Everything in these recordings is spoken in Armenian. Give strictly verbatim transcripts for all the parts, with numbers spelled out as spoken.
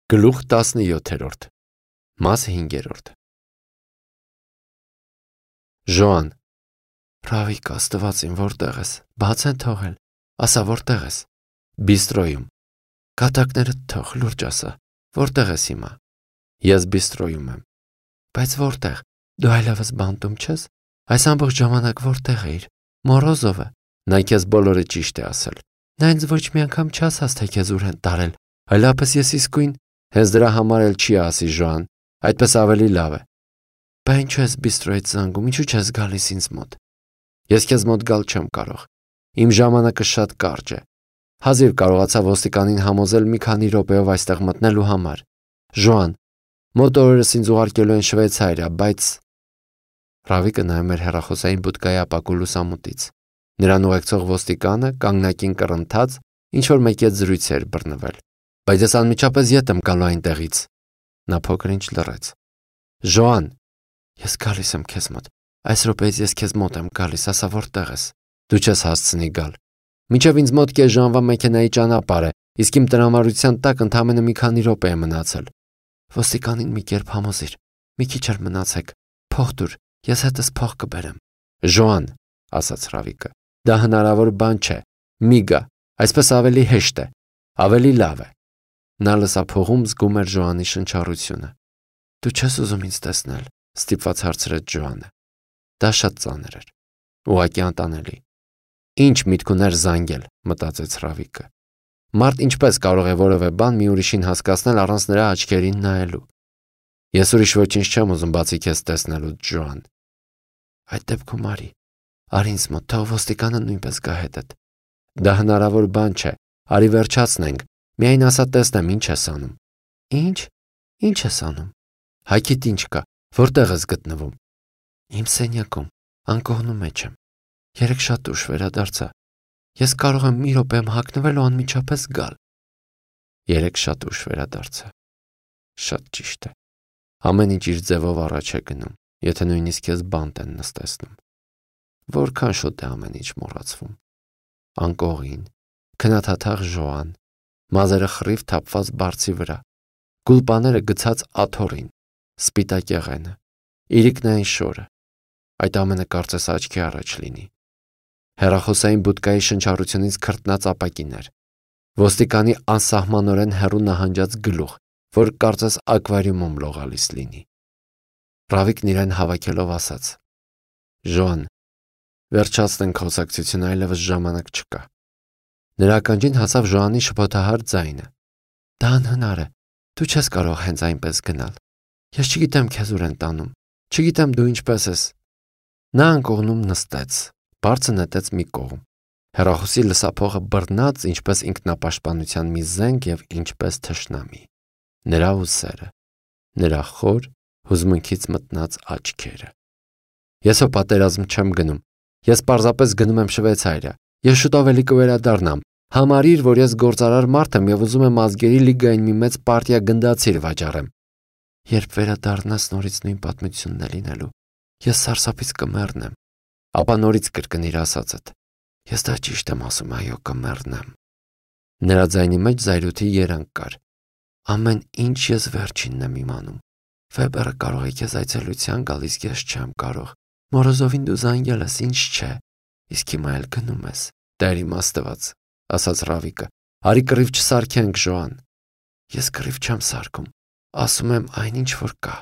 Գլուխ տասնյոթերորդ Մաս հինգերորդ Ժոան Ռավիկ աստվածին որտեղ ես, բաց են թողել, ասա որտեղ ես, բիստրոյում, կատակներդ թող լուրջ ասա, որտեղ ես հիմա, ես բիստրոյում եմ, բայց որտեղ, դու այլևս բանտում չես, այս ամբողջ ժամանակ որտեղ էիր, Մորոզովը, նա քեզ բոլորը ճիշտ է ասել, նա ինձ ոչ մի անգամ չասաց, թե քեզ ուր են տարել, այլապես ես իսկույն Հենց դրա համար էլ չի ասի Ժոան, այդպես ավելի լավ է։ Բա ինչու ես բիստրոյից զանգում, ինչու չես գալիս ինձ մոտ։ Ես քեզ մոտ գալ չեմ կարող։ Իմ ժամանակը շատ կարճ է։ Հազիվ կարողացա ոստիկանին համոզել մի քանի րոպեով այստեղ մտնելու համար։ Ժոան, մոտ օրերս ինձ ուղարկելու են Շվեյցարիա, բայց Ռավիկը նայում էր հեռախոսային բուդկայի ապակու լուսամուտից։ Նրան ուղեկցող ոստիկանը կանգնակին կռնթաց, ինչ որ մեկի հետ զրույց էր բռնվել։ Բայց ես անմիջապես ետ եմ գալու այնտեղից։ Նա փոքր-ինչ լռեց։ Ժոան, ես գալիս եմ քեզ մոտ։ Այս րոպեից ես քեզ մոտ եմ գալիս, ասա որտեղ ես։ Դու չես հասցնի գալ։ Մինչև ինձ մոտ կես ժամվա մեքենայի ճանապարհ է, իսկ իմ տրամարության տակ ընդամենը մի քանի րոպե է մնացել։ Ոստիկանին մի կերպ համոզիր։ Մի քիչ էլ մնացեք։ Փող տուր, ես հետս փող կբերեմ։ Ժոան, ասաց Ռավիկը, դա հնարավոր բան չէ։ Մի գա, այսպես ավելի հեշտ է, ավելի լավ է։ Նա լսափողում զգում էր Ժոանի շնչառությունը։ Դու չես ուզում ինձ տեսնել, ստիպված հարցրեց Ժոանը։ Դա շատ ծանր էր, ուղղակի անտանելի։ Ինչ միտք ուներ զանգել, մտածեց Ռավիկը։ Մարդ ինչպես կարող է որևէ բան մի ուրիշին հասկացնել առանց նրա աչքերին նայելու։ Ես ուրիշ ոչինչ չեմ ուզում բացի քեզ տեսնելուց, Ժոան։ Այդ դեպքում արի, արի ինձ մոտ, թող ոստիկանը նույնպես գա հետդ։ Դա հնարավոր բան չէ, արի վերջացնենք։ Միայն ասա տեսնեմ ինչ ես անում։ Ինչ։ Ինչ ես անում։ Հայքիդ ինչ կա։ Որտեղ ես գտնվում։ Իմ սենյակում, անկողնու մեջ եմ։ Երեք շատ ուշ վերադարձա։ Ես կարող եմ մի րոպեմ հագնվել ու անմիջապես գալ։ Երեք շատ ուշ վերադարձա։ Շատ ճիշտ է։ Ամեն ինչ իր ձևով առաջ է գնում, եթե նույնիսկ քեզ բանտ են նստեցնում։ Որքան շուտ է ամեն ինչ մոռացվում։ Անկողին, քնաթաթախ Ժոան, մազերը խռիվ թափված բարձի վրա, գուլպաները գցած աթոռին, սպիտակ եղենը, իրիկնային շորը, այդ ամենը կարծես աչքի առաջ լինի։ Հեռախոսային բուդկայի շնչառությունից քրտնած ապակիներ, ոստիկանի անսահմանորեն հեռու նահանջած գլուխ, որ կարծես ակվարիումում լողալիս լինի։ Ռավիկն իրեն հավաքելով ասաց. Ժոան, վերջացնենք խոսակցությունը, այլևս ժամանակ չկա։ Նրա ականջին հասավ Ժոանի շփոթահար ձայնը։ Դա անհնար է, դու չես կարող հենց այնպես գնալ։ Ես չգիտեմ քեզ ուր են տանում, չգիտեմ դու ինչպես ես։ Նա անկողնում նստեց, բարձր նետեց մի կողմ։ Հեռախոսի լսափողը բռնած ինչպես ինքնապաշտպանության մի զենք եւ ինչպես թշնամի։ Նրա ուսերը, նրա խոր, հուզմունքից մտնած աչքերը։ Ես հո պատերազմ չեմ գնում։ Ես պարզապես գնում եմ Շվեյցարիա։ Ես շուտով էլի կվերադառնամ։ Համարիր, որ ես գործարար մարդ եմ եւ ուզում եմ ազգերի լիգային մի մեծ պարտիա գնդացիր վաճառեմ։ Երբ վերադառնաս նորից նույն պատմությունն է լինելու, ես սարսափից կմեռնեմ։ Ապա նորից կրկնիր ասածդ։ Ես դա ճիշտ եմ ասում, այո, կմեռնեմ։ Նրա ձայնի մեջ զայրույթի երանգ կար։ Ամեն ինչ ես վերջինն եմ իմանում։ Վեբերը կարող է քեզ այցելության գալ, իսկ ես չեմ կարող։ Մորոզովին դու զանգել ես, ինչ չէ։ Իսկ հիմա էլ գնում ես։ Դեր իմ աստված, ասաց Ռավիկը։ Արի կռիվ չսարքենք, Ժոան։ Ես կռիվ չեմ սարքում։ Ասում եմ այնինչ որ կա։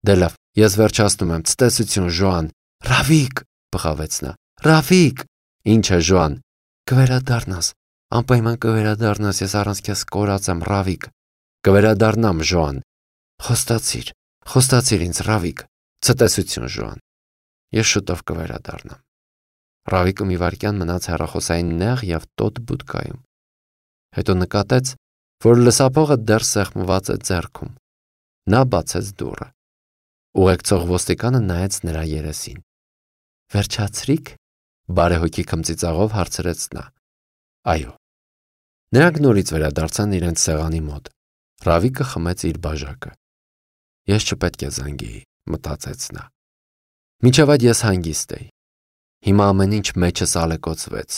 Դե լավ, ես վերջացնում եմ, ցտեսություն, Ժոան։ Ռավիկ, բղավեց նա։ Ռավիկ։ Ինչ է, Ժոան։ Կվերադառնաս։ Անպայման կվերադառնաս, ես առանց քեզ կորած եմ, Ռավիկ։ Կվերադառնամ, Ժոան։ Խոստացիր, խոստացիր ինձ, Ռավիկ։ Ցտեսություն, Ժոան։ Ես շուտով կվերադառնամ։ Ռավիկը մի վայրկյան մնաց հեռախոսային նեղ եւ տոտ բուդկայում։ Հետո նկատեց, որ լսափողը դեռ սեղմված է ձեռքում։ Նա բացեց դուռը։ Ուղեկցող ոստիկանը նայեց նրա երեսին։ Վերջացրիք, բարեհոգի քմծիծաղով հարցրեց նա։ Այո։ Նրանք նորից վերադարձան իրենց սեղանի մոտ։ Ռավիկը խմեց իր բաժակը։ Ես չպետք է զանգեի, մտածեց նա։ Մինչև այդ ես հանգիստ էի։ Հիմա ամեն ինչ մեջս ալեկոծվեց։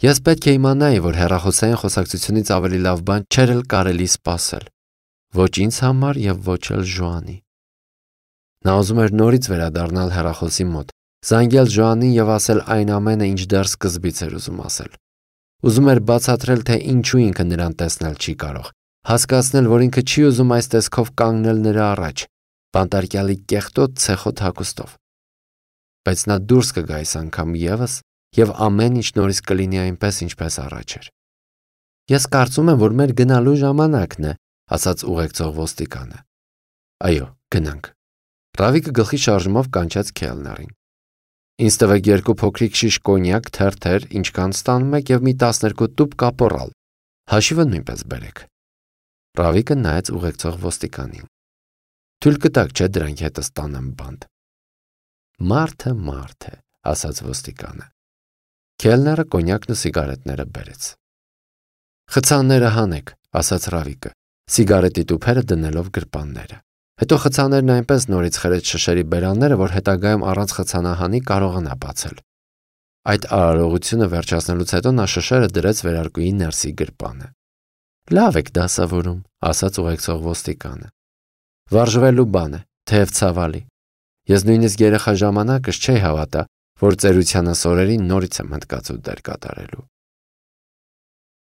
Ես պետք է իմանայի, որ հեռախոսային խոսակցությունից ավելի լավ բան չէր էլ կարելի սպասել։ ոչ ինձ համար եւ ոչ էլ Ժոանի։ Նա ուզում էր նորից վերադառնալ հեռախոսի մոտ, զանգել Ժոանին եւ ասել այն ամենը, ինչ դեռ սկզբից էր ուզում ասել։ Ուզում էր բացատրել, թե ինչու ինքը նրան տեսնել չի կարող, հասկացնել, որ ինքը չի ուզում այս տեսքով կանգնել նրա առաջ, բանտարկյալի կեղտոտ ցեխոտ հագուստով։ Բայց նա դուրս կգա այս անգամ եւս եւ ամեն ինչ նորից կլինի այնպես, ինչպես առաջ էր։ Ես կարծում եմ, որ մեր գնալու ժամանակն է, ասաց ուղեկցող ոստիկանը։ Այո, գնանք։ Ռավիկը գլխի շարժումով կանչեց քելներին։ Ինձ տվեք երկու փոքրիկ շիշ կոնյակ, թերթեր, ինչքան ստանում եք եւ մի տասներկու տուփ կապորալ։ Հաշիվը նույնպես բերեք։ Ռավիկը նայեց ուղեկցող ոստիկանին։ Թույլ կտաք, չէ՞ դրանք հետս տանեմ բանտ։ Մարդը մարդ է, ասաց ոստիկանը։ Քելները կոնյակն ու սիգարետները բերեց։ Խցանները հանեք, ասաց Ռավիկը, սիգարետի տուփերը դնելով գրպանները։ Հետո խցաներն այնպես նորից խրեց շշերի բերանները, որ հետագայում առանց խցանահանի կարողանա բացել։ Այդ արարողությունը վերջացնելուց հետո նա շշերը դրեց վերարկուի ներսի գրպանը։ Լավ եք դասավորում, ասաց ուղեկցող ոստիկանը։ Վարժվելու բան է, թեև ցավալի։ Ես նույնիսկ երեխա ժամանակս չէի հավատա, որ ծերությանս օրերին նորից եմ հնդկացու դեր կատարելու։